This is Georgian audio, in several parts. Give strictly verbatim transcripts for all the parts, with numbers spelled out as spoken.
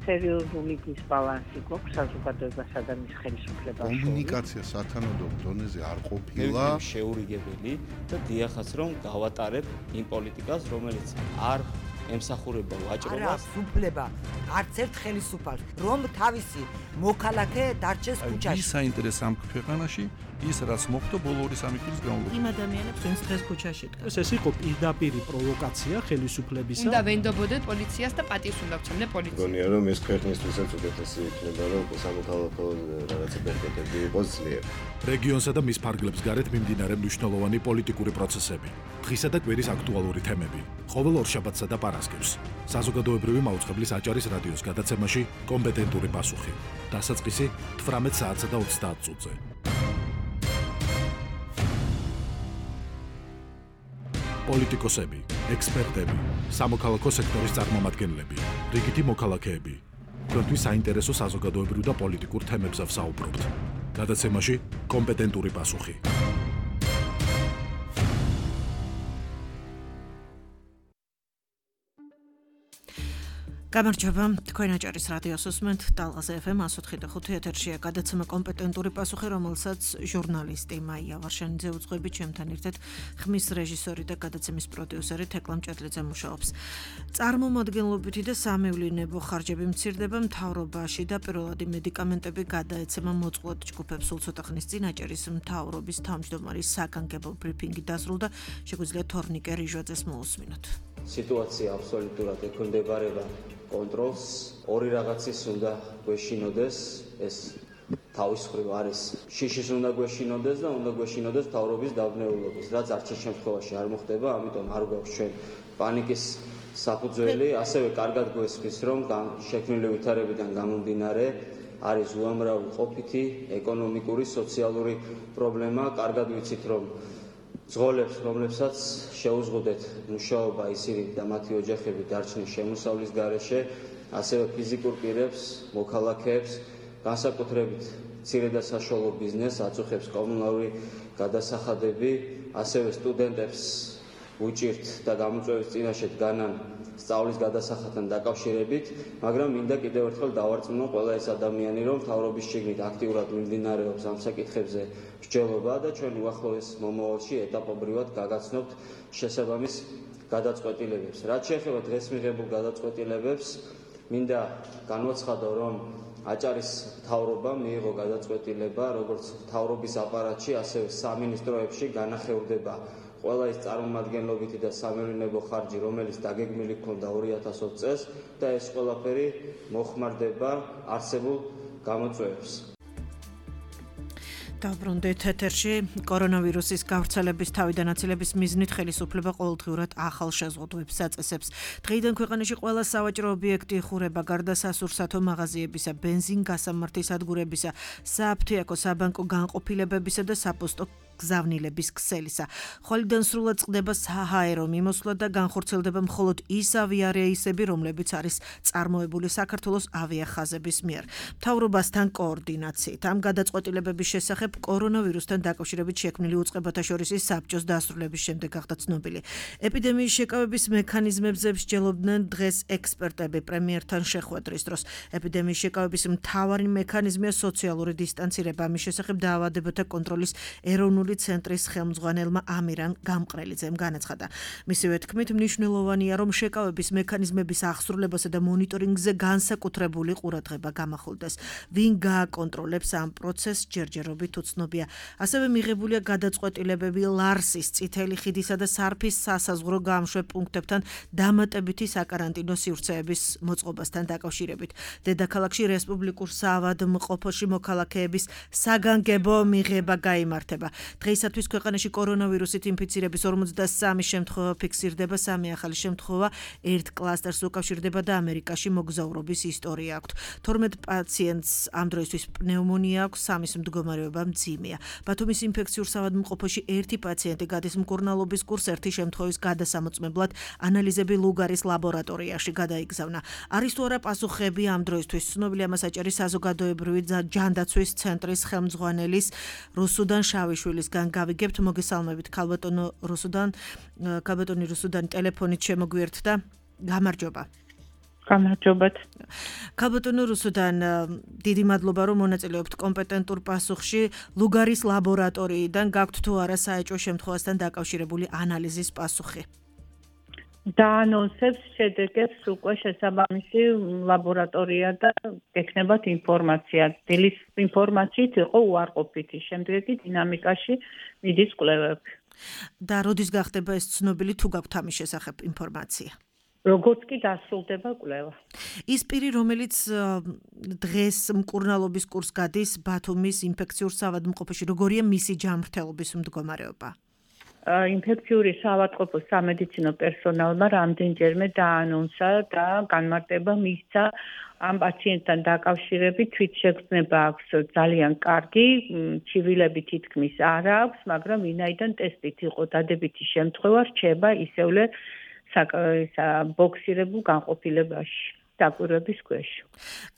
სერიოზული დისბალანსი გვაქვს საზოგადოებასა და მის ხელისუფლებას შორის. კომუნიკაცია სათანადო დონეზე არ ყოფილა. შეურიგებელი და დიახაც რომ გავატარებ იმ პოლიტიკას, რომელიც არ ემსახურება ვაჭრობას. არა, უფლება არც ერთ ხელისუფალს, რომ თავისი მოქალაქე დარჩეს ქუჩაში. ის საინტერესო ამ ქვეყანაში ის რაც მოხდა ბოლო ორი სამი წლის განმავლობაში. იმ ადამიანებს ვინც დღეს ქუჩაში დგას. ეს იყო პირდაპირი პროვოკაცია ხელისუფლებისა. უნდა ვენდობოდეთ პოლიციას და პატივს უნდა ვცემდე პოლიციას. გონია რომ ეს ქვეყნისთვისაც უკეთესი იქნება რომ სამოქალაქო რაღაცა ბერკეტები იყოს ძლიერ. რეგიონსა და მის ფარგლებს გარეთ მიმდინარე მნიშვნელოვანი პოლიტიკური პროცესები, დღისა და კვირის აქტუალური თემები, ყოველ ორშაბათსა და პარასკევს. საზოგადოებრივი მაუწყებლის აჭარის რადიოს გადაცემაში კომპეტენტური პასუხი. დასაწყისი თვრამეტ საათსა და ოცდაათ წუთზე. პოლიტიკოსები, ექსპერტები, სამოქალაქო სექტორის წარმომადგენლები, რიგითი მოქალაქეები. თქვენთვის საინტერესო საზოგადოებრივ და პოლიტიკურ თემებზე ვსაუბრობთ. გადაცემაში კომპეტენტური პასუხი. გამარჯობა, თქვენ აჭარის რადიოს უსმენთ ტალღაზე ეფ ემ one oh five point five ეთერშია გადაცემა კომპეტენტური პასუხი, რომელსაც ჟურნალისტი მაია ვარშანიძე უძღვებით, ჩემთან ერთად ხმის რეჟისორი და გადაცემის პროდიუსერი თეკლა მჭედლიძე მუშაობს. წარმომადგენლობითი და სამევლინებო ხარჯები მცირდება მთავრობაში და პირველადი მედიკამენტები გადაეცემა მოწყვლად ჯგუფებს. სულ ცოტა ხნის წინ აჭარის მთავრობის თავმჯდომარის საგანგებო ბრიფინგი დასრულდა, შეგვიძლია თორნიკე რიჟვაძეს მოусმინოთ. სიტუაცია აბსოლუტურად ექვემდებარება კონტროლს, ორი რაღაცის უნდა გვეშინოდეს, ეს თავის მხრივ არის შიშის უნდა გვეშინოდეს და უნდა გვეშინოდეს მთავრობის დავნეულობის, რაც არც ერთ შემთხვევაში არ მოხდება, ამიტომ არ გვაქვს ჩვენ პანიკის საფუძველი, ასევე კარგად გვესმის, რომ შექმნილი ვითარებიდან გამომდინარე არის უამრავი ყოფითი ეკონომიკური, სოციალური პრობლემა, კარგად ვიცით, რომ ზღოლებს, რომლებსაც შეუზღუდეთ მუშაობა ისინი და მათი ოჯახები დარჩნენ შემოსავლის გარეშე, ასევე ფიზიკურ პირებს, მოქალაქეებს, განსაკუთრებით მცირე და საშუალო ბიზნესს, აწუხებს კომუნალური გადასახადები, ასევე სტუდენტებს უჭირთ და გამოწვევის წინაშე დგანან სწავლის გადასახადთან დაკავშირებით, მაგრამ მინდა კიდევ ერთხელ დავარწმუნო ყველა ეს ადამიანი, რომ მთავრობის შიგნით აქტიურად მიმდინარეობს ამ საკითხებზე მსჯელობა და ჩვენ უახლოეს მომავალში ეტაპობრივად გაგაცნობთ შესაბამის გადაწყვეტილებებს. რაც შეეხება დღეს მიღებულ გადაწყვეტილებებს, მინდა განვაცხადო, რომ აჭარის მთავრობა მიიღო გადაწყვეტილება, როგორც მთავრობის აპარატში, ასევე სამინისტროებში განახევრდება ყველა ის წარმომადგენლობითი და სამევლინებო ხარჯი, რომელიც დაგეგმილი ჰქონდა ორი ათას ოცი წელს და ეს ყველაფერი მოხმარდება არსებულ გამოწვევებს. დავბრუნდით ეთერში. კორონავირუსის გავრცელების თავიდან აცილების მიზნით ხელისუფლება ყოველდღიურად ახალ შეზღუდვებს აწესებს. დღეიდან ქვეყანაში ყველა სავაჭრო ობიექტი იხურება, გარდა სასურსათო მაღაზიებისა, ბენზინ-გასამართის სადგურებისა, სააფთიაქო საბანკო განყოფილებებისა და საფოსტო გზავნილების ქსელისა. ხვალიდან სრულად წყდება საჰაერო მიმოსვლა და განხორციელდება მხოლოდ ის ავიარეისები, რომლებიც არის წარმოებული საქართველოს ავიახაზების მიერ. მთავრობასთან კოორდინაციით ამ გადაწყვეტილებების შესახებ კორონავირუსთან დაკავშირებით შექმნილი უწყებათა შორის საბჭოს დასრულების შემდეგ გახდა ცნობილი. ეპიდემიის შეკავების მექანიზმებზე მსჯელობდნენ დღეს ექსპერტები პრემიერთან შეხვედრის დროს. ეპიდემიის შეკავების მთავარი მექანიზმია სოციალური დისტანცირება. ამის შესახებ დაავადებათა კონტროლის ეროვნული ცენტრის ხელმძღვანელმა ამირან გამყრელიძემ განაცხადა. მისივე თქმით, მნიშვნელოვანია, რომ შეკავების მექანიზმების აღსრულებასა და მონიტორინგზე განსაკუთრებული ყურადღება გამახვილდეს. ვინ გააკონტროლებს ამ პროცესს, ჯერჯერობით უცნობია. ასევე მიღებულია გადაწყვეტილებები ლარსის, წითელი ხიდისა და სარფის სასაზღვრო გამშვებ პუნქტებთან დამატებითი საკარანტინო სივრცეების მოწყობასთან დაკავშირებით. დედაქალაქში რესპუბლიკურ საავადმყოფოში მოქალაქეების საგანგებო მიღება გაიმართება. დღეისათვის ქვეყანაში კორონავირუსით ინფიცირების ორმოცდასამი შემთხვევა ფიქსირდება, სამი ახალი შემთხვევა ერთ კლასტერს უკავშირდება და ამერიკაში მოგზაურობის ისტორია აქვთ. თორმეტ პაციენტს ამ დროისთვის პნეუმონია აქვს, სამის მდგომარეობა მძიმეა. ბათუმის ინფექციურ საავადმყოფოში ერთი პაციენტი გადის მკურნალობის კურსს, ერთი შემთხვევის გადასამოწმებლად ანალიზები ლუგარის ლაბორატორიაში გადაიგზავნა. არის თუ არა პასუხები ამ დროისთვის ცნობილია ამას აჭარის საზოგადოებრივი ჯანდაცვის ცენტრის ხელმძღვანელის რუსუდან შავიშვილის გავიგებთ. მოგესალმებით ქალბატონო რუსუდან, ქალბატონი რუსუდანი ტელეფონით შემოგვიერთდა. გამარჯობა. გამარჯობათ. ქალბატონო რუსუდან დიდი მადლობა რომ მონაწილეობთ კომპეტენტურ პასუხში. ლუგარის ლაბორატორიიდან გაქვთ თუ არა საეჭვო შემთხვევასთან დაკავშირებული ანალიზის პასუხი? დაანონსებს შედეგებს უკვე შესაბამისი ლაბორატორია და გექნებათ ინფორმაცია. დილის ინფორმაციით იყო უარყოფითი, შემდეგი დინამიკაში მიდის კვლევები. და როდის გახდება ეს ცნობილი თუ გაქვთ ამის შესახებ ინფორმაცია? როგორც კი დასრულდება კვლევა. ის პირი, რომელიც დღეს მკურნალობის კურსს გადის ბათუმის ინფექციურ საავადმყოფოში, როგორია მისი ჯანმრთელობის მდგომარეობა? ინფექციური საავადმყოფოს სამედიცინო პერსონალმა რამდენჯერმე დაანონსა და განმარტება მისცა ამ პაციენტთან დაკავშირებით თვითშეგრძნება აქვს ძალიან კარგი, ჩივილები თითქმის არ აქვს, მაგრამ ვინაიდან ტესტით იყო დადებითი შემთხვევა, რჩება ისევლე ბოქსირებულ განყოფილებაში. დაკვირვების ქვეშ.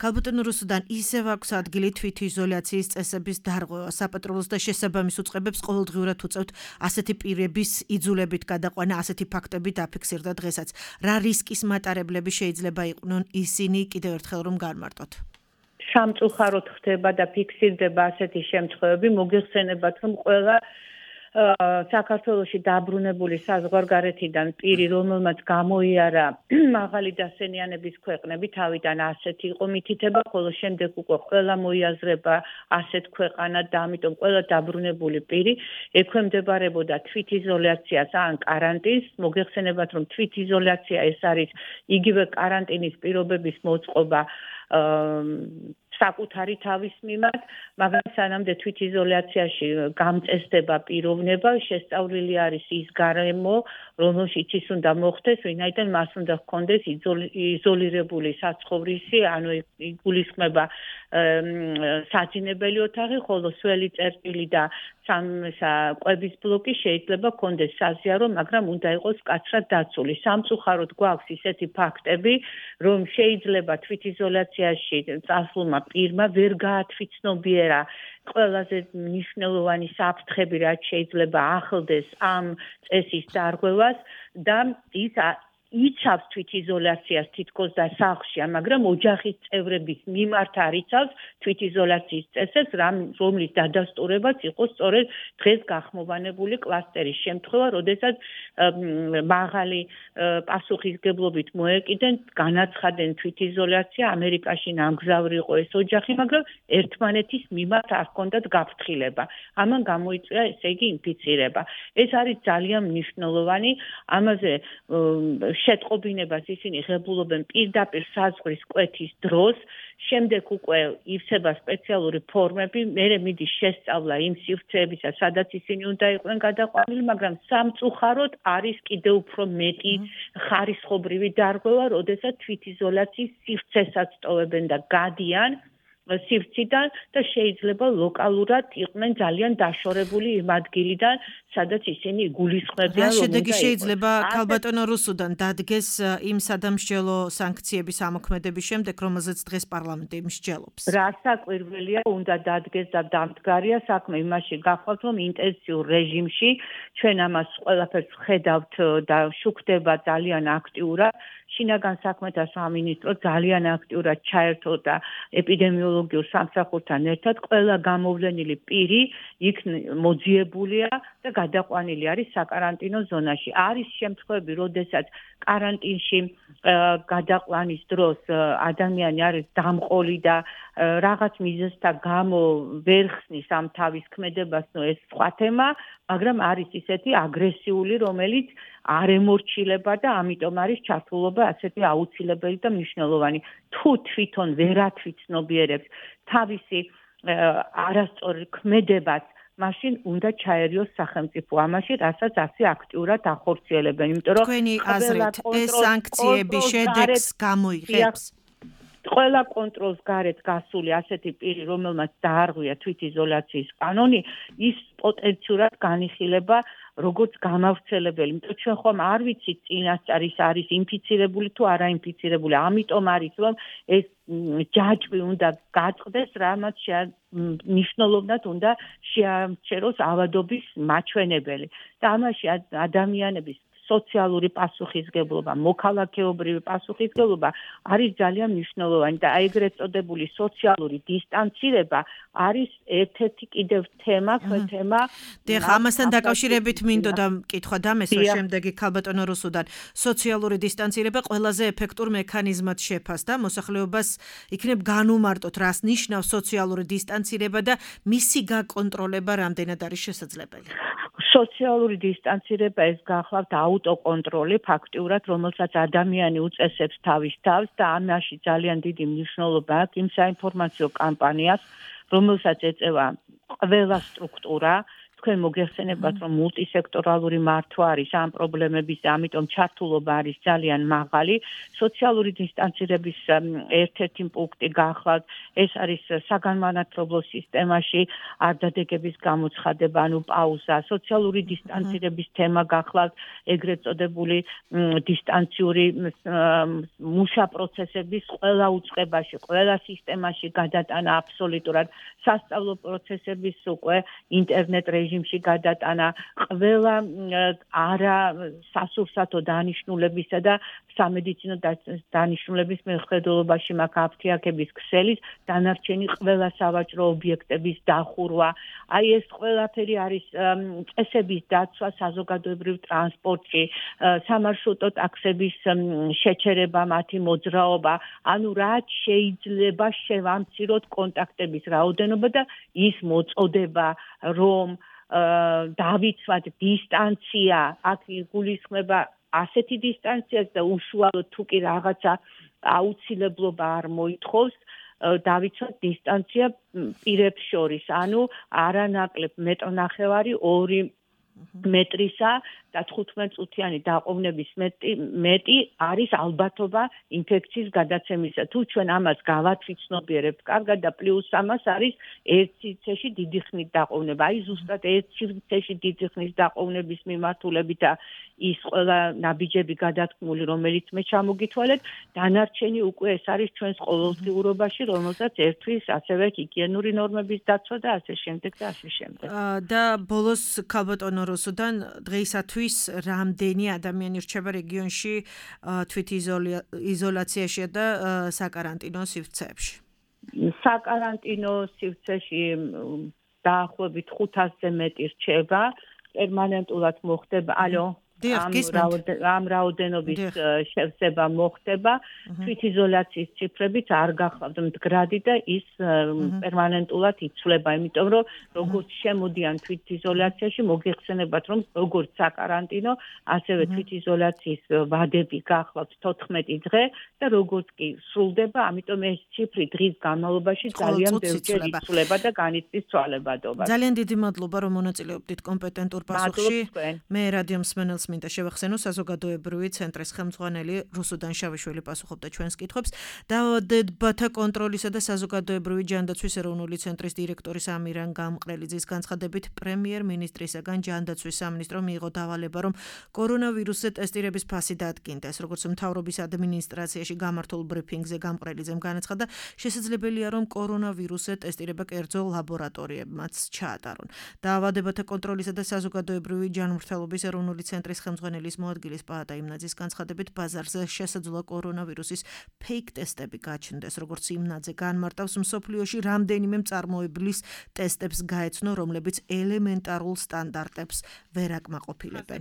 ქალბატონო რუსუდან ისევ აქვს ადგილი თვითიზოლაციის წესების დარღვევა. საპატრულოს და შესაბამის უწყებებს ყოველდღიურად უწევთ ასეთი პირების იძულებით გადაყვანა, ასეთი ფაქტები დაფიქსირდა დღესაც. რა რისკის მატარებლები შეიძლება იყვნენ ისინი კიდევ ერთხელ რომ განმარტოთ? სამწუხაროდ ხდება და ფიქსირდება ასეთი შემთხვევები, მოგეხსენებათ რომ ყველა საქართველოში დაბრუნებული საზღვარგარეთიდან პირი, რომელმაც გამოიარა მაღალი დასენიანების ქვეყნები, თავიდან ასეთი იყო მითითება, ხოლო შემდეგ უკვე ყველა მოიაზრება ასეთ ქვეყანად და ამიტომ ყველა დაბრუნებული პირი ექვემდებარებოდა თვითიზოლაციას ან კარანტინს. მოგეხსენებათ, რომ თვითიზოლაცია ეს არის იგივე კარანტინის პირობების მოწყობა საკუთარი თავის მიმართ, მაგრამ სანამდე თვითიზოლაციაში გამწესდება პიროვნება, შესწავლილი არის ის გარემო, რომელშიც ის უნდა მოხდეს, ვინაიდან მას უნდა ჰქონდეს იზოლირებული საცხოვრისი, ანუ იგულისხმება საძინებელი ოთახი, ხოლო სველი წერტილი და კვების ბლოკი შეიძლება ჰქონდეს საზიარო, მაგრამ უნდა იყოს მკაცრად დაცული. სამწუხაროდ გვაქვს ისეთი ფაქტები, რომ შეიძლება თვითიზოლაციაში წასულმა პირმა ვერ გაათვითცნობიერა ყველაზე მნიშვნელოვანი საფრთხები, რაც შეიძლება ახლდეს ამ წესის დარღვევას და ის იცავს თვითიზოლაციას თითქოს და სახლშია, მაგრამ ოჯახის წევრების მიმართ არ იცავს თვითიზოლაციის წესებს, რომლის დადასტურებაც იყო სწორედ დღეს გახმოვანებული კლასტერის შემთხვევა, როდესაც მაღალი პასუხისგებლობით მოეკიდენ, განაცხადნენ თვითიზოლაცია, ამერიკაში ნამგზავრი იყო ეს ოჯახი, მაგრამ ერთმანეთის მიმართ არ ჰქონდათ გაფრთხილება. ამან გამოიწვია ესე იგი ინფიცირება. ეს არის ძალიან მნიშვნელოვანი, ამაზე შეტყობინებას ისინი ღებულობენ პირდაპირ საზღვრის კვეთის დროს, შემდეგ უკვე ივსება სპეციალური ფორმები, მერე მიდის შესწავლა იმ სივრცეებისა, სადაც ისინი უნდა იყვნენ გადაყვანილი, მაგრამ სამწუხაროდ არის კიდევ უფრო მეტი ხარისხობრივი დარღვევა, როდესაც თვითიზოლაციის სივრცესაც ტოვებენ და გადიან სივრციდან და შეიძლება ლოკალურად იყვნენ ძალიან დაშორებული იმ ადგილიდან, სადაც ისინი იგულისხმებიან, რა შედეგი შეიძლება ქალბატონო რუსუდან დადგეს იმ სადამსჯელო სანქციების ამოქმედების შემდეგ, რომელზეც დღეს პარლამენტი მსჯელობს? რა საკვირველია უნდა დადგეს და დამდგარია საქმე იმაში გახვალთ, რომ ინტენსიურ რეჟიმში ჩვენ ამას ყველაფერს ხედავთ და შუქდება ძალიან აქტიურად. შინაგან საქმეთა სამინისტრო ძალიან აქტიურად ჩაერთო და ეპიდემიოლოგიურ სამსახურთან ერთად ყველა გამოვლენილი პირი იქ მოძიებულია და გადაყვანილი არის საკარანტინო ზონაში. არის შემთხვევები, როდესაც კარანტინში გადაყვანის დროს ადამიანი არის დამყოლი და რაღაც მიზეზთა გამო ვერ ხსნის ამ თავის ქმედებას, ნუ ეს სხვა თემა, მაგრამ არის ისეთი აგრესიული, რომელიც არ ემორჩილება და ამიტომ არის ჩართულობა ასეთი აუცილებელი და მნიშვნელოვანი. თუ თვითონ ვერ ათვითცნობიერებს თავისი არასწორი ქმედებას, მაშინ უნდა ჩაერიოს სახელმწიფო ამაში, რასაც ასე აქტიურად ახორციელებენ, იმიტომ რომ თქვენი აზრით ეს სანქციები შედეგს გამოიღებს? ყველა კონტროლს გარეთ გასული ასეთი პირი, რომელმაც დაარღვია თვითიზოლაციის კანონი, ის პოტენციურად განიხილება როგორც გამავრცელებელი. იმიტომ ჩვენ ხომ არ ვიცით წინასწარ ის არის ინფიცირებული თუ არა ინფიცირებული. ამიტომ არის რომ ეს ჯაჭვი უნდა გაწყდეს, რამაც მნიშვნელოვნად უნდა შეამჩეროს ავადობის მაჩვენებელი. და ამაში ადამიანების სოციალური პასუხისგებლობა, მოქალაქეობრივი პასუხისგებლობა არის ძალიან მნიშვნელოვანი და აი ეგრეთ წოდებული სოციალური დისტანცირება არის ერთ-ერთი კიდევ თემა, თემა. დიახ, ამასთან დაკავშირებით მინდოდა კითხვა დამესვა შემდეგი ქალბატონო რუსუდან. სოციალური დისტანცირება ყველაზე ეფექტურ მექანიზმად შეფასდა, მოსახლეობას იქნებ განუმარტოთ, რას ნიშნავს სოციალური დისტანცირება და მისი გაკონტროლება რამდენად არის შესაძლებელი. სოციალური დისტანცირება ეს გახლავთ აუტოკონტროლი ფაქტიურად, რომელსაც ადამიანი უწესებს თავის თავს და ამაში ძალიან დიდი მნიშვნელობა აქვს იმ საინფორმაციო კამპანიას, რომელსაც ეწევა ყველა სტრუქტურა. თქვენ მოგეხსენებათ, რომ მულტისექტორალური მართვა არის ამ პრობლემების და ამიტომ ჩართულობა არის ძალიან მაღალი. სოციალური დისტანცირების ერთ-ერთი პუნქტი გახლავთ, ეს არის საგანმანათლებლო სისტემაში არდადეგების გამოცხადება, ანუ პაუზა. სოციალური დისტანცირების თემა გახლავთ ეგრეთ წოდებული დისტანციური მუშა პროცესების ყველა უწყებაში, ყველა სისტემაში გადატანა აბსოლუტურად, სასწავლო პროცესების უკვე ინტერნეტ რეჟიმში გადატანა, ყველა არა სასურსათო დანიშნულებისა და სამედიცინო დანიშნულების მიხედველობაში მაქვს აფთიაქების ქსელის დანარჩენი ყველა სავაჭრო ობიექტების დახურვა. აი ეს ყველაფერი არის წესების დაცვა საზოგადოებრივ ტრანსპორტში, სამარშრუტო ტაქსების შეჩერება, მათი მოძრაობა, ანუ რაც შეიძლება შევამციროთ კონტაქტების რაოდენობა და ის მოწოდება, რომ დავიცვათ დისტანცია, აქ გულისხმება ასეთი დისტანციას და უშუალოდ თუ კი რაღაცა აუცილებლობა არ მოითხოვს, დავიცვათ დისტანცია პირებს შორის, ანუ არანაკლებ მეტრნახევარი ორი მეტრისა და თხუთმეტ წუთიანი დაყოვნების მეტი მეტი არის ალბათობა ინფექციის გადაცემისა. თუ ჩვენ ამას გავათვითცნობიერებთ კარგად და პლუს ამას არის ერთ სივრცეში დიდი ხნის დაყოვნება. აი ზუსტად ერთ სივრცეში დიდი ხნის დაყოვნების მიმართულებით და ის ყველა ნაბიჯები გადათქმული, რომელიც მე ჩამოგითვალეთ, დანარჩენი უკვე ეს არის ჩვენს ყოველდღიურობაში, რომელსაც ერთვის ასევე ჰიგიენური ნორმების დაცვა და ასე შემდეგ და ასე შემდეგ. და ბოლოს ქალბატონო რუსუდან დღეისათვის რამდენი ადამიანი რჩება რეგიონში თვითიზოლაციაში და საკარანტინო სივრცეებში? საკარანტინო სივრცეში დაახლოებით ხუთასზე მეტი რჩება, პერმანენტულად მოხდება, ალო ამ რაოდენობის შევსება მოხდება, თვითიზოლაციის ციფრებით არ გახლავთ მდგრადი და ის პერმანენტულად იცვლება, იმიტომ რომ როგორც შემოდიან თვითიზოლაციაში, მოგეხსენებათ, რომ როგორც საკარანტინო, ასევე თვითიზოლაციის ვადები გახლავთ თოთხმეტი დღე და როგორც კი სრულდება, ამიტომ ეს ციფრი დღის განმავლობაში ძალიან ბევრჯერ იცვლება და განიცდის ცვალებადობას. ძალიან დიდი მადლობა, რომ მონაწილეობდით კომპეტენტურ პასუხში. მე რადიო მსმენელს მინდა შევახსენო, საზოგადოებრივი ცენტრის ხელმძღვანელი რუსუდან შავიშვილი პასუხობდა ჩვენს კითხვებს. დაავადებათა კონტროლისა და საზოგადოებრივი ჯანდაცვის ეროვნული ცენტრის დირექტორის ამირან გამყრელიძის განცხადებით, პრემიერ-მინისტრისაგან ჯანდაცვის სამინისტრომ მიიღო დავალება, რომ კორონავირუსზე ტესტირების ფასი დადგინდეს. როგორც მთავრობის ადმინისტრაციაში გამართულ ბრიფინგზე გამყრელიძემ განაცხადა, შესაძლებელია, რომ კორონავირუსზე ტესტირება კერძო ლაბორატორიებმაც ჩაატარონ. დაავადებათა კონტროლისა და საზოგადოებრივი ჯანმრთელობის ეროვნული ცენტრის ხელმძღვანელის მოადგილის პაატა იმნაძის განცხადებით, ბაზარზე შესაძლოა კორონავირუსის ფეიქ ტესტები გაჩნდეს, როგორც იმნაძე განმარტავს, მსოფლიოში რამდენიმე მწარმოებლის ტესტებს გაეცნო, რომლებიც ელემენტარულ სტანდარტებს ვერ აკმაყოფილებენ.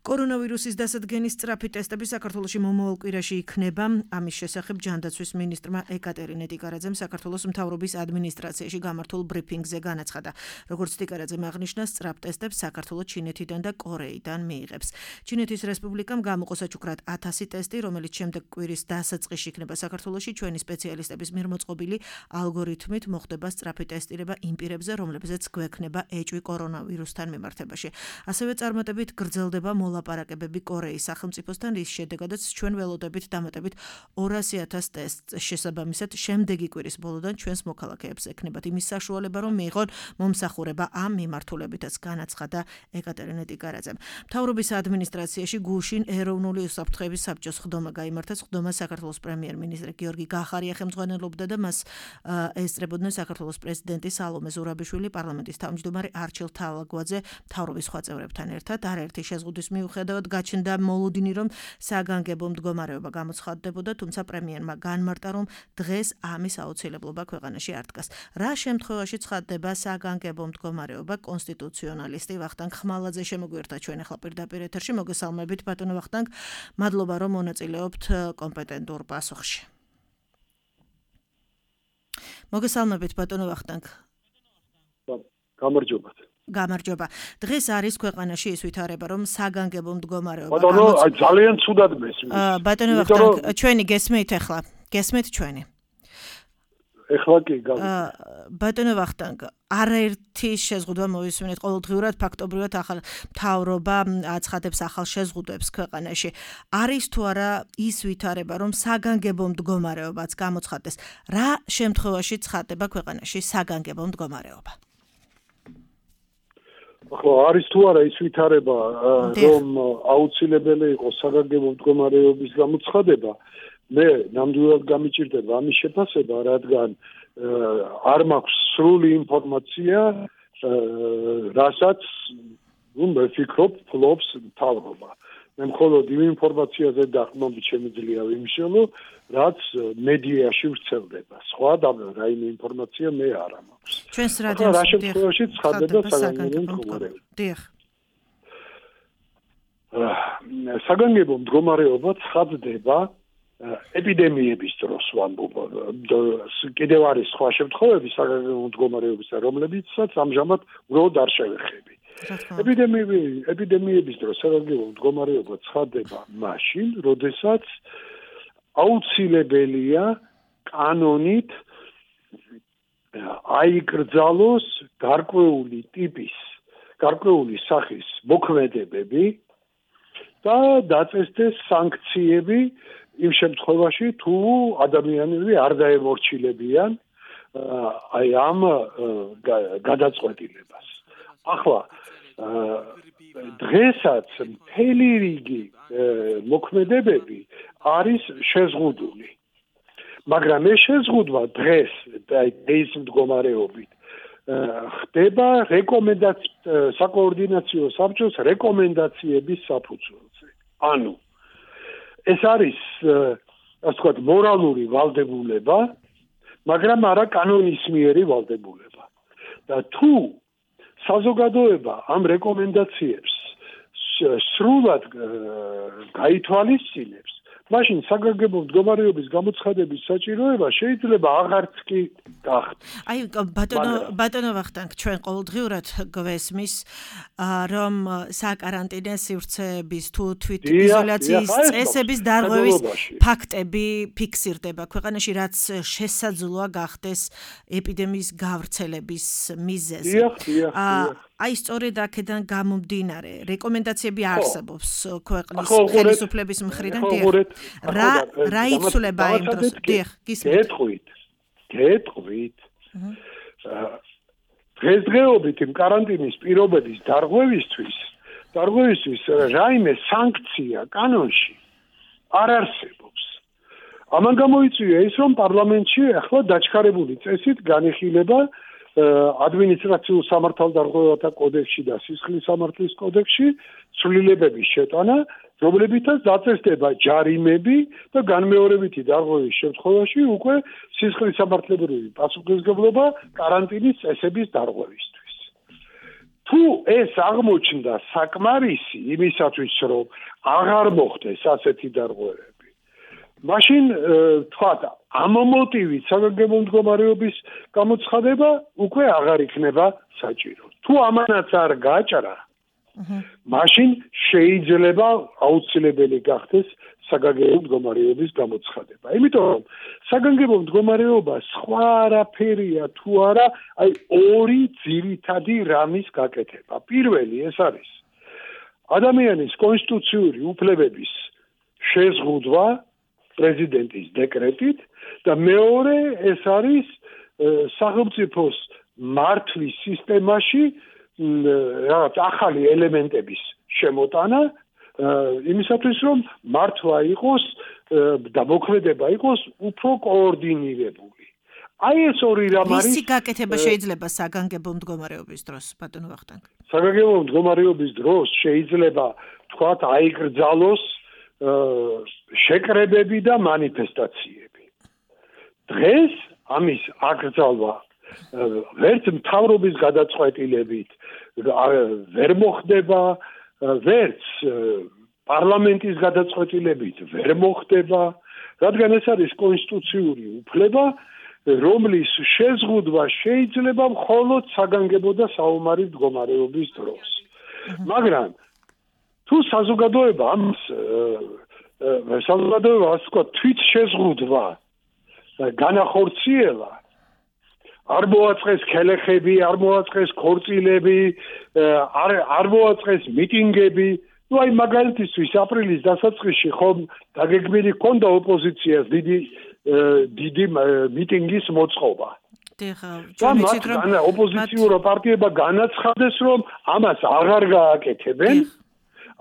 კორონავირუსის დასადგენის სწრაფი ტესტები საქართველოში მომავალ კვირაში იქნება. ამის შესახებ ჯანდაცვის მინისტრმა ეკატერინე ტიკარაძემ საქართველოს მთავრობის ადმინისტრაციაში გამართულ ბრიფინგზე განაცხადა. როგორც ტიკარაძემ აღნიშნა, სწრაფ ტესტებს საქართველოს ჩინეთიდან და კორეიდან მიიღებს. ჩინეთის რესპუბლიკამ გამოყო საჩუქრად ათასი ტესტი, რომელიც შემდეგ კვირის დასაწყისში იქნება საქართველოში. ჩვენი სპეციალისტების მიერ მოწყობილი ალგორითმით მოხდება სწრაფი ტესტირება იმ პირებზე, რომლებზეც გვექნება ეჭვი კორონავირუსთან მიმართებაში. ასევე წარმატებით გრძელდება მოლაპარაკებები კორეის სახელმწიფოსთან, რის შედეგადაც ჩვენ ველოდებით დამატებით ორასი ათას ტესტს. შესაბამისად, შემდეგი კვირის ბოლოდან ჩვენს მოქალაქეებს ექნებათ იმის საშუალება, რომ მიიღონ მომსახურება ამ მიმართულებითაც, განაცხადა ეკატერინე ტიკარაძემ. მთავრობის ადმინისტრაციაში გუშინ ეროვნული უსაფრთხოების საბჭოს ხდომა გაიმართა. ხდომა საქართველოს პრემიერ-მინისტრი გიორგი გახარია ხელმძღვანელობდა და მას ესწრებოდნენ საქართველოს პრეზიდენტი სალომე ზურაბიშვილი, პარლამენტის თავმჯდომარე არჩილ თალაგვაძე, მთავრობის სხვა წევრებთან ერთად. არაერთი შეზღუდვის მიუხედავად გაჩნდა მოლოდინი, რომ საგანგებო მდგომარეობა გამოცხადდებოდა, თუმცა პრემიერმა განმარტა, რომ დღეს ამის აუცილებლობა ქვეყანაში არ დგას. რა შემთხვევაში ცხადდება საგანგებო მდგომარეობა? კონსტიტუციონალისტი ვახტანგ ხმალაძე შემოგვიერთდა ჩვენ ახლა პირდაპირ ეთერში. მოგესალმებით ბატონო ვახტანგ, მადლობა რომ მონაწილეობთ კომპეტენტურ პასუხში. მოგესალმებით ბატონო ვახტანგ. გამარჯობათ. გამარჯობა. დღეს არის ქვეყანაში ის ვითარება, რომ საგანგებო მდგომარეობა ბატონო, ძალიან ცუდად მესმის. ბატონო ვახტანგ, ჩვენი გესმით ახლა? გესმით ჩვენი? ეხლა კი გავიგე. ბატონო ვახტანგ, არაერთი შეზღუდვა მოვისმინეთ ყოველდღიურად, ფაქტობრივად ახალ მთავრობა აცხადებს ახალ შეზღუდვებს ქვეყანაში. არის თუ არა ის ვითარება, რომ საგანგებო მდგომარეობაც გამოცხადდეს? რა შემთხვევაში ცხადდება ქვეყანაში საგანგებო მდგომარეობა? ახლა არის თუ არა ის ვითარება, რომ აუცილებელი იყო საგანგებო მდგომარეობის გამოცხადება? მე ნამდვილად გამიჭირდება ამის შეფასება, რადგან არ მაქვს სრული ინფორმაცია, რასაც ნუ მე ვფიქრობ, ფლობს მთავრობა. მე მხოლოდ იმ ინფორმაციაზე დაყრდნობით შემიძლია ვიმშელო, რაც მედიაში ვრცელდება. სხვა რაიმე ინფორმაცია მე არ მაქვს. ჩვენს რადიოს რა შემთხვევაში ცხადდება საგანგებო მდგომარეობა? დიახ. საგანგებო მდგომარეობა ცხადდება ეპიდემიების დროს ვამბობ. კიდევ არის სხვა შემთხვევები საგანგებო მდგომარეობისა, რომლებიცაც ამჟამად უბრალოდ არ შევეხები. ეპიდემიები ეპიდემიების დროს საგანგებო მდგომარეობა ცხადდება მაშინ, როდესაც აუცილებელია კანონით აიკრძალოს გარკვეული ტიპის, გარკვეული სახის მოქმედებები და დაწესდეს სანქციები იმ შემთხვევაში, თუ ადამიანები არ დაემორჩილებიან აი ამ გადაწყვეტილებას. ახლა დღესაც მთელი რიგი მოქმედებები არის შეზღუდული. მაგრამ ეს შეზღუდვა დღეს დღეს მდგომარეობით ხდება რეკომენდაციების საკოორდინაციო საბჭოს რეკომენდაციების საფუძველზე. ანუ ეს არის, ასე ვთქვათ, მორალური ვალდებულება, მაგრამ არა კანონისმიერი ვალდებულება. და თუ საზოგადოება ამ რეკომენდაციებს სრულად გაითვალისწინებს, მაშინ საგანგებო მდგომარეობის გამოცხადების საჭიროება შეიძლება აღარც კი გახდეს. აი ბატონო ბატონო ვახტანგ, ჩვენ ყოველდღიურად გვესმის, რომ საკარანტინო სივრცეების თუ თვითიზოლაციის წესების დარღვევის ფაქტები ფიქსირდება ქვეყანაში, რაც შესაძლოა გახდეს ეპიდემიის გავრცელების მიზეზი. აი სწორედ აქედან გამომდინარე, რეკომენდაციები არსებობს ქვეყნის ხელისუფლების მხრიდან. რა რა იცვლება იმ დროს? დიახ, გისმენთ. გეტყვით. გეტყვით. დღესდღეობით იმ კარანტინის პირობების დარღვევისთვის, დარღვევისთვის რაიმე სანქცია კანონში არ არსებობს. ამან გამოიწვია ის, რომ პარლამენტში ახლა დაჩქარებული წესით განიხილება ადმინისტრაციულ სამართალდარღვევათა კოდექსში და სისხლის სამართლის კოდექსში ცვლილებების შეტანა, რომლებითაც დაწესდება ჯარიმები და განმეორებითი დარღვევის შემთხვევაში უკვე სისხლის სამართლებრივი პასუხისმგებლობა კარანტინის წესების დარღვევისთვის. თუ ეს აღმოჩნდა საკმარისი იმისათვის, რომ აღარ მოხდეს ასეთი დარღვევები, მაშინ თქვათ, ამ მოტივით საგანგებო მდგომარეობის გამოცხადება უკვე აღარ იქნება საჭირო. თუ ამანაც არ გაჭრა, მაშინ შეიძლება აუცილებელი გახდეს საგანგებო მდგომარეობის გამოცხადება. იმიტომ რომ საგანგებო მდგომარეობა სხვა არაფერია თუ არა, აი ორი ძირითადი რამის გაკეთება. პირველი ეს არის ადამიანის კონსტიტუციური უფლებების შეზღუდვა პრეზიდენტის დეკრეტით და მეორე ეს არის სახელმწიფოს მართვის სისტემაში რაღაც ახალი ელემენტების შემოტანა, იმისათვის რომ მართვა იყოს და მოქმედება იყოს უფრო კოორდინირებული. აი ეს ორი რამ არის. ვისი გაკეთება შეიძლება საგანგებო მდგომარეობის დროს, ბატონო ვახტანგ? საგანგებო მდგომარეობის დროს შეიძლება თქვათ აიკრძალოს შეკრებები და მანიფესტაციები. დღეს ამის აკრძალვა ვერც მთავრობის გადაწყვეტილებით ვერ მოხდება, ვერც პარლამენტის გადაწყვეტილებით ვერ მოხდება, რადგან ეს არის კონსტიტუციური უფლება, რომლის შეზღუდვა შეიძლება მხოლოდ საგანგებო და საომარი მდგომარეობის დროს. მაგრამ თუ საზოგადოება ამს საზოგადოება ასე ვთქვათ თვით შეზღუდვა განახორციელა, არ მოაწყეს ქელეხები, არ მოაწყეს ქორწილები, არ არ მოაწყეს მიტინგები. Ну აი მაგალითისთვის აპრილის დასაწყისში ხომ დაგეგმილი ჰქონდა ოპოზიციას დიდი დიდი მიტინგის მოწყობა. და ოპოზიციურ პარტიებმა განაცხადეს, რომ ამას აღარ გააკეთებენ,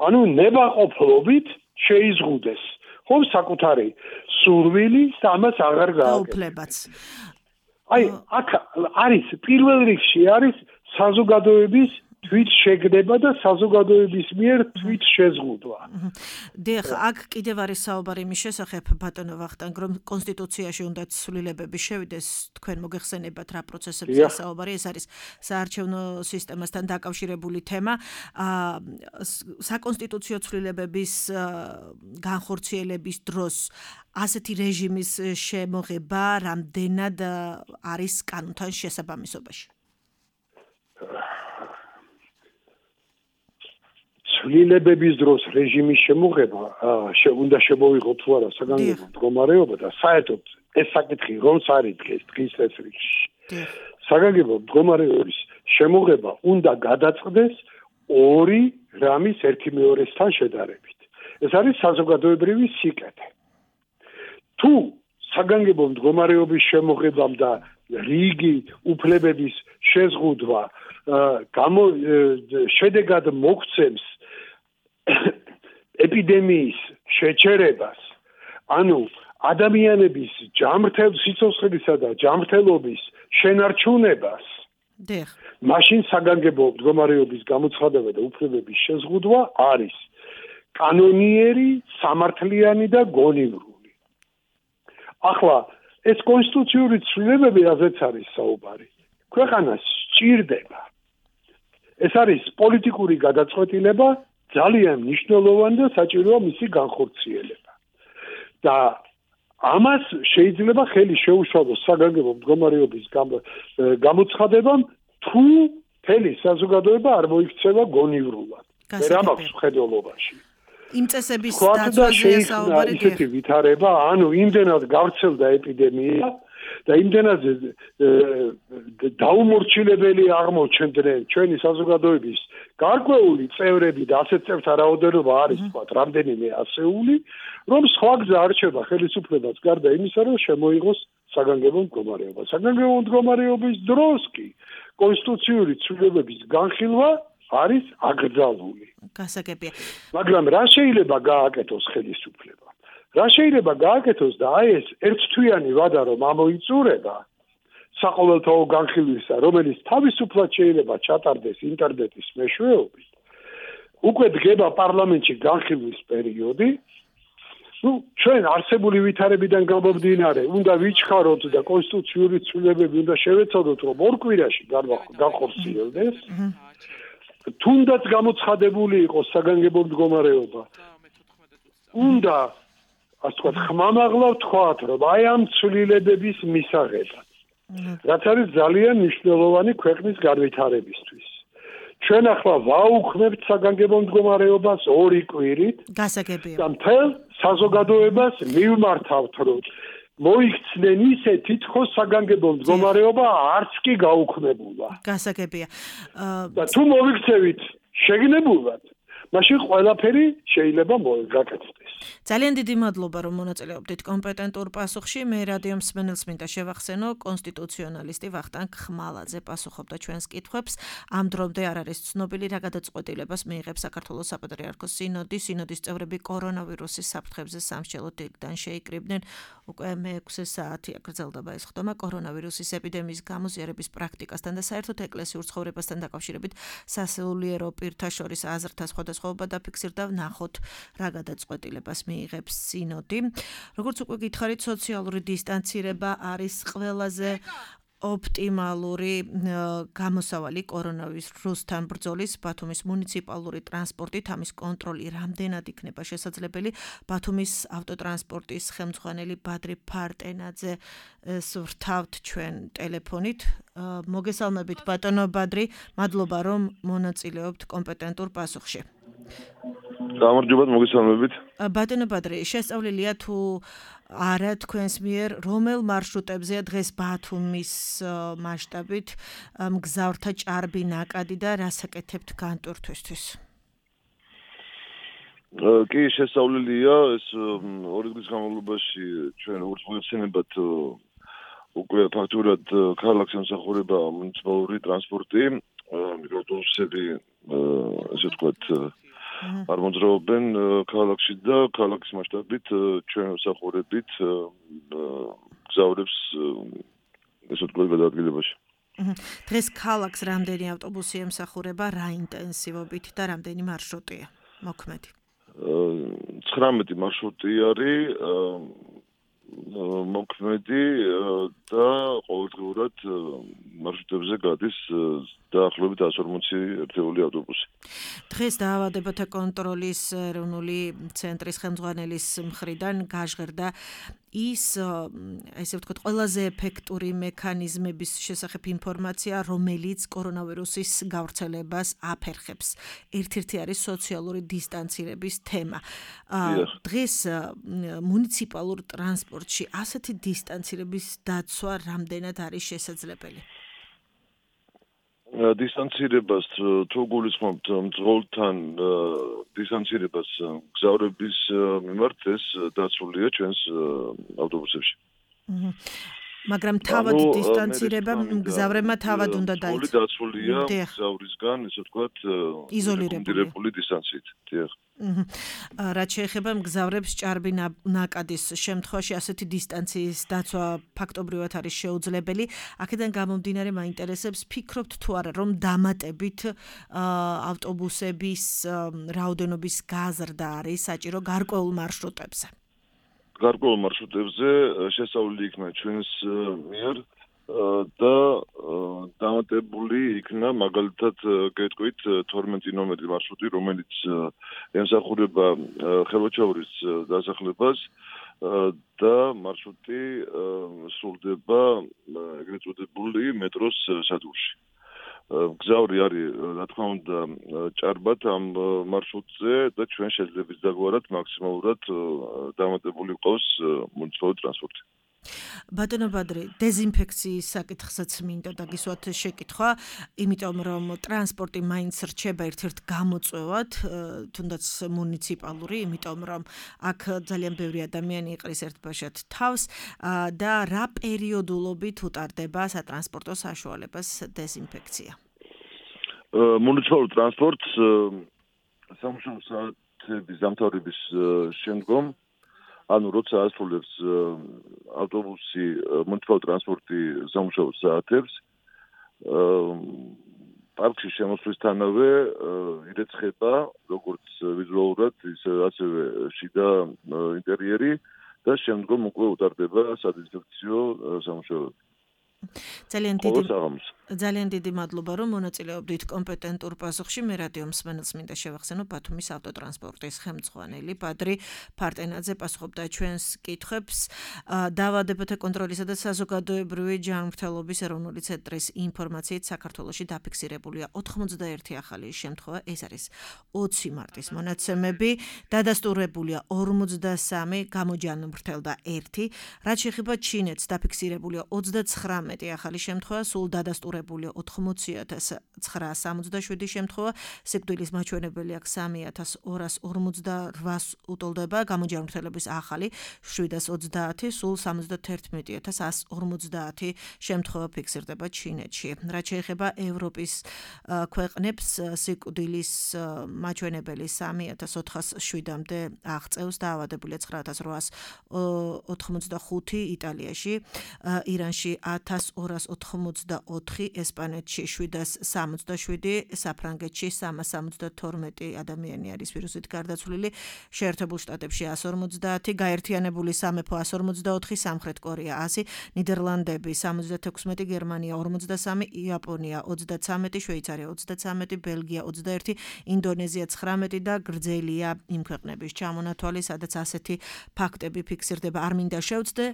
ანუ ნებაყოფლობით შეიზღუდეს ხომ საკუთარი სურვილი და ამას აღარ გააკეთებენ. აი აქ არის პირველ რიგში არის საზოგადოების თვით შეგდება და საზოგადოების მიერ თვით შეზღუდვა. დიახ, აქ კიდევ არის საუბარი იმის შესახებ, ბატონო ვახტანგ, რომ კონსტიტუციაში უნდა ცვლილებები შევიდეს, თქვენ მოგეხსენებათ რა პროცესებზე საუბარი, ეს არის საარჩევნო სისტემასთან დაკავშირებული თემა. საკონსტიტუციო ცვლილებების განხორციელების დროს ასეთი რეჟიმის შემოღება რამდენად არის კანონთან შესაბამისობაში? ცვლილებების დროს რეჟიმის შემოღება უნდა შემოვიღოთ თუ არა საგანგებო მდგომარეობა და საერთოდ ეს საკითხი რომ წარიდგეს დღის ეს რიგში. საგანგებო მდგომარეობის შემოღება უნდა გადაწყდეს ორი რამის ერთი მეორესთან შედარებით. ეს არის საზოგადოებრივი სიკეთე. თუ საგანგებო მდგომარეობის შემოღებამ და რიგი უფლებების შეზღუდვა გამო შედეგად მოგვცემს ეპიდემიის შეჩერებას, ანუ ადამიანების ჯამრთელ სიცოცხლისა და ჯამრთელობის შენარჩუნებას, მაშინ საგანგებო მდგომარეობის გამოცხადება და უფლებების შეზღუდვა არის კანონიერი, სამართლიანი და გონივრული. ახლა ეს კონსტიტუციური ცვლილებები, რაზეც არის საუბარი, ქვეყანას სჭირდება. ეს არის პოლიტიკური გადაწყვეტილება, ძალიან მნიშვნელოვანი და საჭიროა მისი განხორციელება. და ამას შეიძლება ხელი შეუშალოს საგანგებო მდგომარეობის გამოცხადებამ, თუ მთელი საზოგადოება არ მოიქცევა გონივრულად. ვერ ამაქვს მხედველობაში. იმ წესების დაცვაზეა საუბარი. ისეთი ვითარება, ანუ იმდენად გავრცელდა ეპიდემია და იმდენად დაუმორჩილებელი აღმოჩნდნენ ჩვენი საზოგადოების გარკვეული წევრები და ასეთ წევრთა რაოდენობა არის თქვათ რამდენიმე ასეული, რომ სხვა გზა არ რჩება ხელისუფლებას გარდა იმისა, რომ შემოიღოს საგანგებო მდგომარეობა. საგანგებო მდგომარეობის დროს კი კონსტიტუციური ცვლილებების განხილვა არის აკრძალული. გასაგებია. მაგრამ რა შეიძლება გააკეთოს ხელისუფლება? რა შეიძლება გააკეთოს და აი ეს ერთთვიანი ვადა რომ ამოიწურება საყოველთაო განხილვისა, რომელიც თავისუფლად შეიძლება ჩატარდეს ინტერნეტის მეშვეობით, უკვე დგება პარლამენტში განხილვის პერიოდი. ნუ ჩვენ არსებული ვითარებიდან გამომდინარე, უნდა ვიჩქაროთ და კონსტიტუციური ცვლილებები უნდა შევეცადოთ, რომ ორ კვირაში განხორციელდეს. თუნდაც გამოცხადებული იყოს საგანგებო მდგომარეობა. უნდა ასე ვთქვათ, ხმამაღლა ვთქვათ, რომ აი ამ ცვლილებების მისაღებად, რაც არის ძალიან მნიშვნელოვანი ქვეყნის განვითარებისთვის. ჩვენ ახლა ვაუქმებთ საგანგებო მდგომარეობას ორი კვირით. გასაგებია. და მთელ საზოგადოებას მივმართავთ, რომ მოიქცნენ ისე თითქოს საგანგებო მდგომარეობა არც კი გაუქმებულა. გასაგებია. და თუ მოიქცევით შეგნებულად, მაშინ ყველაფერი შეიძლება გაკეთდეს. ძალიან დიდი მადლობა, რომ მონაწილეობდით კომპეტენტურ პასუხში. მე რადიო მსმენელს მინდა შევახსენო, კონსტიტუციონალისტი ვახტანგ ხმალაძე პასუხობდა ჩვენს კითხვებს. ამ დრომდე არ არის ცნობილი, რა გადაწყვეტილებას მიიღებს საქართველოს საპატრიარქოს სინოდი. სინოდის წევრები კორონავირუსის საფრთხებზე სამსჯელო დილიდან შეიკრიბნენ. უკვე მეექვსე საათი აგრძელდება ეს ხდომა კორონავირუსის ეპიდემიის გამოზიარების პრაქტიკასთან და საერთოდ ეკლესიურ ცხოვრებასთან დაკავშირებით სასულიერო პირთა შორის აზრთა სხვადასხვაობა დაფიქსირდა. ვნახოთ, რა გადაწყვეტილებას მიიღებს სინოდი. როგორც უკვე გითხარით, სოციალური დისტანცირება არის ყველაზე ოპტიმალური გამოსავალი კორონავირუსთან ბრძოლის. ბათუმის მუნიციპალური ტრანსპორტით ამის კონტროლი რამდენად იქნება შესაძლებელი? ბათუმის ავტოტრანსპორტის ხელმძღვანელი ბადრი ფარტენაძე სვრთავთ ჩვენ ტელეფონით. მოგესალმებით ბატონო ბადრი, მადლობა რომ მონაწილეობთ კომპეტენტურ პასუხში. გამარჯობათ, მოგესალმებით. ბატონო ბადრი, შესწავლილია თუ არა თქვენს მიერ რომელ მარშრუტებზეა დღეს ბათუმის მასშტაბით მგზავრთა ჭარბი ნაკადი და რას აკეთებთ განტვირთვისთვის? კი, შესწავლილია ეს ორი დღის განმავლობაში ჩვენ როგორც მოიხსენებათ უკვე ფაქტურად ქალაქს ემსახურება მუნიციპალური ტრანსპორტი, მიკროავტობუსები ესე ვთქვათ არ მოძრაობენ ქალაქში და ქალაქის მასშტაბით ჩვენ მსახურებით გზავრებს ესე ვთქვათ გადაადგილებაში. დღეს ქალაქს რამდენი ავტობუსი ემსახურება, რა ინტენსივობით და რამდენი მარშრუტია მოქმედი? ცხრამეტი მარშრუტი არის მოქმედი და ყოველდღიურად მარშრუტებზე გადის დაახლოებით εκατს ორმოცი ერთეული ავტობუსი. დღეს დაავადებათა კონტროლის ეროვნული ცენტრის ხელმძღვანელის მხრიდან გაჟღერდა ის, ესე ვთქვათ, ყველაზე ეფექტური მექანიზმების შესახებ ინფორმაცია, რომელიც კორონავირუსის გავრცელებას აფერხებს. ერთ-ერთი არის სოციალური დისტანცირების თემა. დღეს მუნიციპალურ ტრანსპორტში ასეთი დისტანცირების დაცვა რამდენად არის შესაძლებელი? დისტანცირებას თუ გულისხმობთ მძღოლთან დისტანცირებას გზავრების მიმართ ეს დაცულია ჩვენს ავტობუსებში. მაგრამ თავად დისტანცირება მგზავრებმა თავად უნდა დაიცვას. დაცულია გზავრისგან, ესე ვთქვათ, იზოლირებული დისტანციით. დიახ. რაც შეეხება მგზავრებს ჭარბი ნაკადის შემთხვევაში ასეთი დისტანციის დაცვა ფაქტობრივად არის შეუძლებელი. აქედან გამომდინარე მაინტერესებს, ფიქრობთ თუ არა რომ დამატებით ავტობუსების რაოდენობის გაზრდა არის საჭირო გარკვეულ მარშრუტებზე? გარკვეულ მარშრუტებზე შესწავლილი იქნა ჩვენს მიერ და დამატებული იქნა მაგალითად გეტყვით თორმეტი ნომერი მარშრუტი, რომელიც ემსახურება ხელვაჩაურის დასახლებას და მარშრუტი სრულდება ეგრეთ წოდებული მეტროს სადგურში. გზავრი არის, რა თქმა უნდა, ჭარბად ამ მარშრუტზე და ჩვენ შეძლებს დაგვარად მაქსიმალურად დამატებული ყავს მუნიციპალური ტრანსპორტი. ბატონო ბადრი, დეზინფექციის საკითხსაც მინდა დაგისვათ შეკითხვა, იმიტომ რომ ტრანსპორტი მაინც რჩება ერთ-ერთ გამოწვევად, თუნდაც მუნიციპალური, იმიტომ რომ აქ ძალიან ბევრი ადამიანი იყრის ერთბაშად თავს და რა პერიოდულობით უტარდება სატრანსპორტო საშუალებას დეზინფექცია? მუნიციპალურ ტრანსპორტს სამუშაო საათების დამთავრების შემდგომ ანუ როცა ასრულებს ავტობუსი მუნიციპალური ტრანსპორტი სამუშაო საათებს პარკში შემოსვლისთანავე ირეცხება როგორც ვიზუალურად ისე ასევე შიდა ინტერიერი და შემდგომ უკვე უტარდება სადეზინფექციო სამუშაოები. ძალიან დიდი ძალიან დიდი მადლობა რომ მონაწილეობდით კომპეტენტურ პასუხში. მე რადიო მსმენელს მინდა შევახსენო, ბათუმის ავტოტრანსპორტის ხელმძღვანელი ბადრი ფარტენაძე პასუხობდა ჩვენს კითხვებს. დაავადებათა კონტროლისა და საზოგადოებრივი ჯანმრთელობის ეროვნული ცენტრის ინფორმაციით საქართველოში დაფიქსირებულია ოთხმოცდაერთი ახალი შემთხვევა, ეს არის ოცი მარტის მონაცემები, დადასტურებულია ორმოცდასამი, გამოჯანმრთელდა ერთი. რაც შეეხება ჩინეთს, დაფიქსირებულია ოცდაცხრამეტი ახალი შემთხვევა, სულ დადასტურებულია დადასტურებულია ოთხმოცი ათას ცხრაას სამოცდაშვიდი შემთხვევა, სიკვდილის მაჩვენებელი აქ სამი ათას ორას ორმოცდაოთხს უტოლდება, გამოჯანმრთელების ახალი შვიდას ოცდაათი, სულ სამოცდათერთმეტი ათას ასს ორმოცდაათი შემთხვევა ფიქსირდება ჩინეთში. რაც შეეხება ევროპის ქვეყნებს, სიკვდილის მაჩვენებელი სამი ათას ოთხასშვიდამდე აღწევს, დაავადებულია ცხრა ათას რვაას ოთხმოცდახუთი იტალიაში, ირანში ათას ორას ოთხმოცდაოთხი, ესპანეთში შვიდას სამოცდაშვიდი, საფრანგეთში სამას სამოცდათორმეტი ადამიანი არის ვირუსით გარდაცვლილი, შეერთებულ შტატებში ასს ორმოცდაათი, გაერთიანებული სამეფო ასს ორმოცდაოთხი, სამხრეთ კორეა ასი, ნიდერლანდები სამოცდათექვსმეტი, გერმანია ორმოცდასამი, იაპონია ოცდაცამეტი, შვეიცარია ოცდაცამეტი, ბელგია ოცდაერთი, ინდონეზია ცხრამეტი და გრძელია იმ ქვეყნების ჩამონათვალი, სადაც ასეთი ფაქტები ფიქსირდება. არ მინდა შევცდე,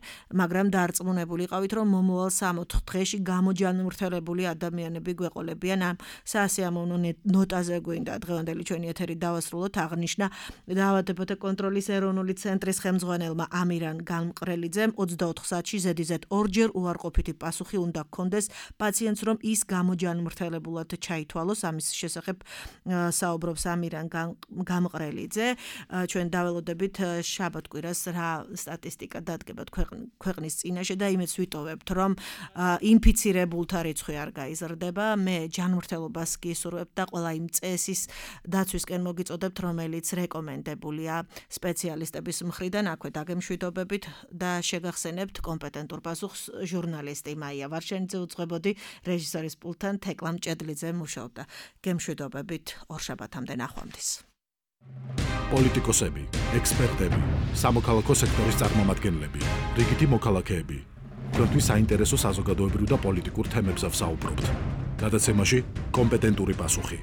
მაგრამ დარწმუნებული იყავით, რომ მომავალ სამოთხ დღეში გამოჯანმრთელებული ადამიანები გვეყოლებიან. ამ სასიამოვნო ნოტაზე გვინდა დღევანდელი ჩვენი ეთერი დავასრულოთ. აღნიშნა დაავადებათა კონტროლის ეროვნული ცენტრის ხელმძღვანელმა ამირან განმყრელიძემ ოცდაოთხ საათში ზედიზედ ორჯერ უარყოფითი პასუხი უნდა ჰქონდეს პაციენტს, რომ ის გამოჯანმრთელებულად ჩაითვალოს. ამის შესახებ საუბრობს ამირან გამყრელიძე. ჩვენ დაველოდებით შაბათ-კვირას რა სტატისტიკა დადგება ქვეყნის წინაშე და იმედს ვიტოვებთ, რომ ინფიცირებულთა რიცხვი არ გაიზრდება. მე ჯანმრთელობას გისურვებთ და ყველა იმ წესის დაცვისკენ მოგიწოდებთ, რომელიც რეკომენდებულია სპეციალისტების მხრიდან. აქვე დაგემშვიდობებით და შეგახსენებთ კომპეტენტურ პასუხს ჟურნალისტი მაია ვარშენიძე უძღვებოდი, რეჟისორის პულტთან თეკლამ ჭედლიძე მუშაობდა. გემშვიდობებით ორშაბათამდე ნახვამდის. პოლიტიკოსები, ექსპერტები, სამოქალაქო სექტორის წარმომადგენლები, რიგითი მოქალაქეები. თქვენთვის საინტერესო საზოგადოებრივ და პოლიტიკურ თემებზე ვსაუბრობთ. გადაცემაში კომპეტენტური პასუხი.